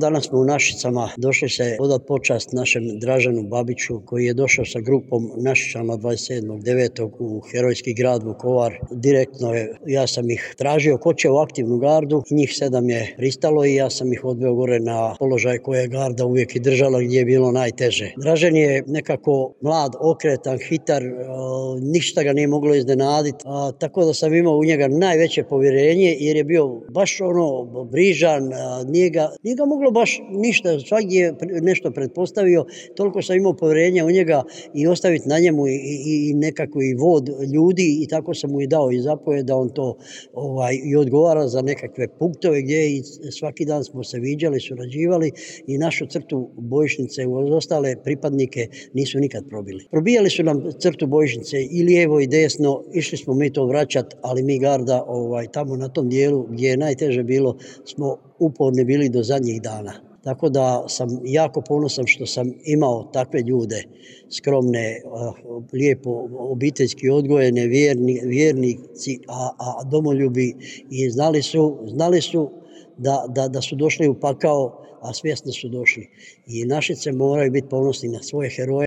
Danas smo u Našicama došli se odati počast našem Draženu Babiću koji je došao sa grupom Našičana 27.9. u herojski grad Vukovar. Direktno ja sam ih tražio ko će u aktivnu gardu i njih 7 je pristalo i ja sam ih odveo gore na položaj koje je garda uvijek i držala gdje je bilo najteže. Dražen je nekako mlad, okretan, hitar, ništa ga nije moglo iznenaditi, tako da sam imao u njega najveće povjerenje jer je bio baš brižan, nije ga moglo baš ništa, svaki je nešto pretpostavio, toliko sam imao povjerenja u njega i ostaviti na njemu i nekako i vod ljudi i tako sam mu i dao i zapovjed da on to i odgovara za nekakve punktove gdje i svaki dan smo se viđali, surađivali i našu crtu bojišnice uz ostale pripadnike nisu nikad probili. Probijali su nam crtu bojišnice i lijevo i desno, išli smo mi to vraćati, ali mi garda tamo na tom dijelu gdje je najteže bilo smo uporni bili do zadnjih dana. Tako da sam jako ponosan što sam imao takve ljude, skromne, lijepo obiteljski odgojene, vjernici, a domoljubi i znali su da su došli u pakao, a svjesno su došli. I Našice moraju biti ponosni na svoje heroje.